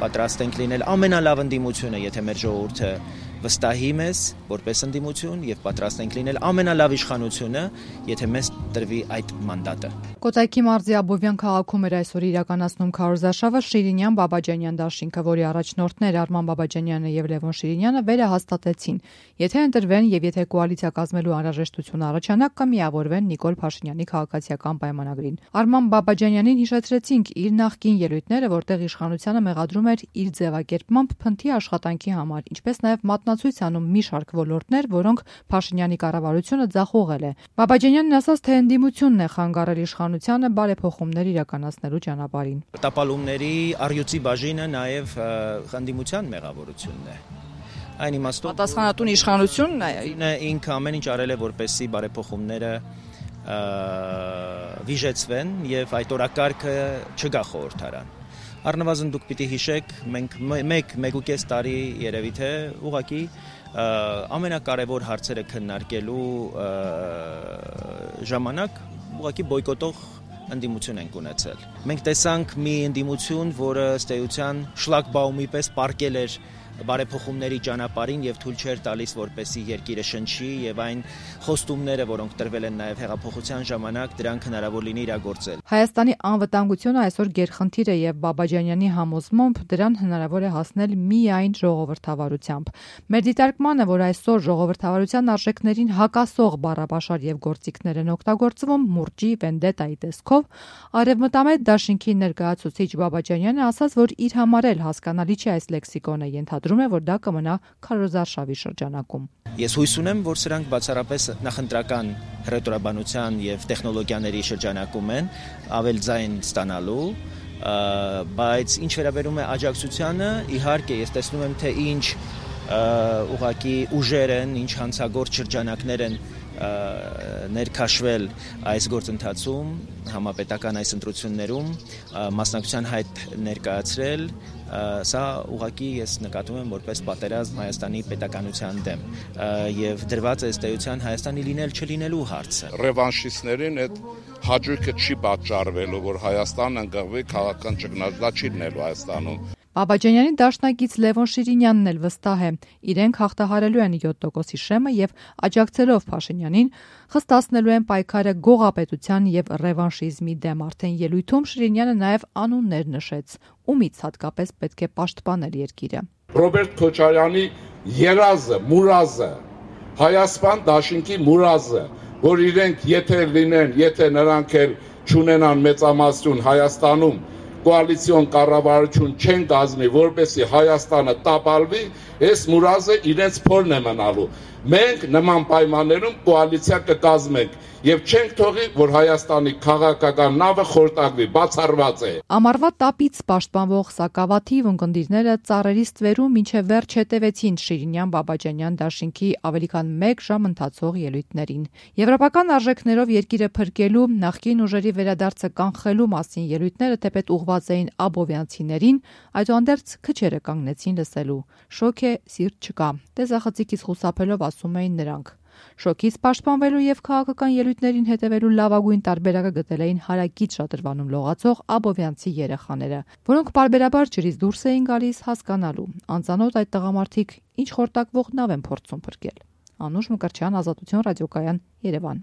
Պատրաստ ենք լինել ամենալավ ընդդիմությունը, եթե մեր ժողովուրդը վստահի մեզ որպես ընդդիմություն եւ պատրաստ ենք լինել ամենալավ իշխանությունը, եթե մեզ տրվի այդ մանդատը։ Կոտայքի մարզի Աբովյան քաղաքում էր այսօր իրականացնում քարոզարշավը Շիրինյան-Բաբաջանյան դաշինքը, որի առաջնորդներ Արման Բաբաջանյանը եւ Լևոն Շիրինյանը վերահաստատեցին. եթե ընտրվեն եւ եթե կոալիցիա կազմելու անհրաժեշտություն առաջանա, կմիավորվեն Նիկոլ Փաշինյանի քաղաքացիական պայմանագրին։ Արման Բաբաջանյանին հիշեցրեցինք իր նախկին ելույթները, որտեղ իշխանությանը մեղադրում էր իր ձևակերպմամբ փնթի աշխատանքի համար, ինչպես նաեւ մատնացույց անում մի շարք ոլորտներ, որոնք Փաշինյանի կառավարությունը ձախողել է։ Բաբաջանյանն ասաց, թե ընդդիմությունն է խանգարել իշխանությանը բարեփոխումներ իրականացնելու ճանապարհին։ Տապալումների առյուծի բաժինը նաեւ ընդդիմության մեղավորությունն է։ Այն իմաստով պատասխանատուն իշխանությունն է ինքը ամեն ինչ արել է, որպեսզի բարեփոխումները վիժեցվեն եւ այդ օրակարգը չգա խորհրդարան։ Առնվազն դուք պիտի հիշեք, մենք 1.5 տարի երևի թե ուղղակի ամենակարևոր հարցերը քննարկելու ժամանակ ուղղակի բոյկոտող ընդդիմություն ենք ունեցել։ Մենք տեսանք մի ընդդիմություն, որը ըստ էության շլագբաումի պես պառկել էր բարեփոխումների ճանապարհին եւ թույլ չէր տալիս, որպեսզի երկիրը շնչի եւ այն խոստումները, որոնք տրվել են նաեւ հեղափոխության ժամանակ, դրանք հնարավոր լինի իրագործել։ Հայաստանի անվտանգությունը այսօր գերխնդիր է եւ Բաբաջանյանի համոզմամբ դրան հնարավոր է հասնել միայն ժողովրդավարությամբ։ Մեր դիտարկմանը, որ այսօր ժողովրդավարության արժեքներին հակասող բառապաշար եւ գործիքներ են օգտագործվում մուրճի վենդետայի տեսքով, Արևմտամետ դաշինքի ներկայացուցիչ Բաբաջանյանը ասաց, որ իր համար էլ հասկանալի չէ այս լեքսիկոնը, ենթադրում է, որ դա կմնա քարոզարշավի շրջանակում։ Ես հույս ունեմ, որ սրանք բացառապես նախընտրական հռետորաբանության եւ տեխնոլոգիաների շրջանակում են ավել ձայն ստանալու, բայց ինչ վերաբերում է աջակցությանը, իհարկե ես տեսնում եմ, թե ինչ ուղղակի ուժեր են, ինչ հանցագործ շրջանակներ են ներքաշվել այս գործընթացում, համապետական այս ընտրություններում, մասնակցության հայտ ներկայացրել, սա ուղղակի ես նկատում եմ որպես պատերազմ Հայաստանի պետականության դեմ եւ դրված է ըստ էության Հայաստանի լինել չլինելու հարցը։ Ռևանշիստներին այդ հաճույքը չի պատճառվելու, որ Հայաստանը ընկղվի քաղաքական ճգնաժամ, դա չի լինելու Հայաստանում։ Բաբաջանյանի դաշնակից Լևոն Շիրինյանն էլ վստահ է, իրենք հաղթահարելու են 7%-ի շեմը եւ աջակցելով Փաշինյանին խստացնելու են պայքարը գողապետության եւ ռևանշիզմի դեմ։ Արդեն ելույթում Շիրինյանը նաեւ անուններ նշեց, ումից հատկապես պետք է պաշտպանել երկիրը։ Ռոբերտ Քոչարյանի երազը, մուրազը, Հայաստան դաշինքի մուրազը, որ իրենք եթե լինեն, եթե նրանք էլ չունենան մեծամասնություն Հայաստանում կոալիցիոն կառավարություն չեն կազմի, որպեսզի Հայաստանը տապալվի, այս մուրազը իրենց փորն է մնալու։ Մենք նման պայմաններում կոալիցիա կկազմենք եւ չենք թողի, որ Հայաստանի քաղաքական նավը խորտակվի, բացառված է։ Ամառվա տապից պաշտպանվող սակավաթիվ ունկնդիրները ծառերի ստվերում մինչև վերջ հետևեցին Շիրինյան-Բաբաջանյան դաշինքի ավելի քան 1 ժամ ընթացող ելույթներին։ Եվրոպական արժեքներով երկիրը փրկելու, նախկին ուժերի վերադարձը կանխելու մասին ելույթները թեպետ ուղղված էին աբովյանցիներին, այդուհանդերձ քչերը կանգնեցին լսելու։ Շոկ է, սիրտ չկա։ Տեսախցիկից խուսափելով ասում էին նրանք։ Շոկից պաշտպանվելու եւ քաղաքական ելույթներին հետևելու լավագույն տարբերակը գտել էին հարակից շատրվանում լողացող աբովյանցի երեխաները, որոնք պարբերաբար ջրից դուրս էին գալիս հասկանալու, անծանոթ այդ տղամարդիկ ինչ խորտակվող նավ են փորձում փրկել։ Անուշ Մկրտչյան, Ազատություն ռադիոկայան, Երևան։